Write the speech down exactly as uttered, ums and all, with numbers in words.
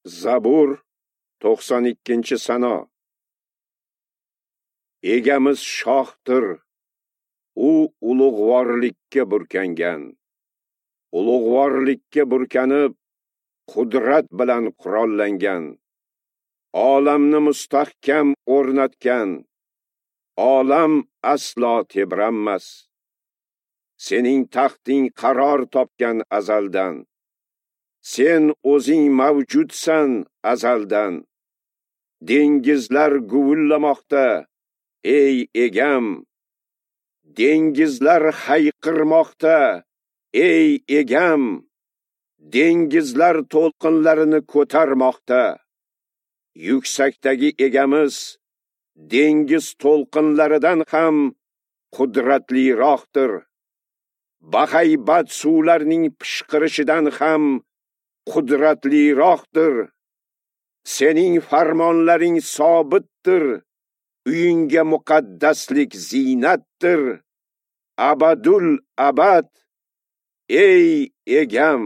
Zabur to'qson ikkinchi sano. Egamiz shohdir, u ulug'vorlikka burkangan. Ulug'vorlikka burkanib, qudrat bilan qurollangan. Olamni mustahkam o'rnatgan. Olam aslo tebranmas. Sening taxting qaror topgan azaldan. Sen o'zing mavjudsan azaldan. Dengizlar guvillamoqda, ey egam. Dengizlar hayqirmoqda, ey egam. Dengizlar to'lqinlarini ko'tarmoqda. Yuksakdagi egamiz dengiz to'lqinlaridan ham qudratliroqdir. Bahaybat suvlarning pishqirishidan ham qudratliroqdir. Sening farmonlaring sobitdir. Uyingga muqaddaslik ziynatdir. Abadul abad, ey egam.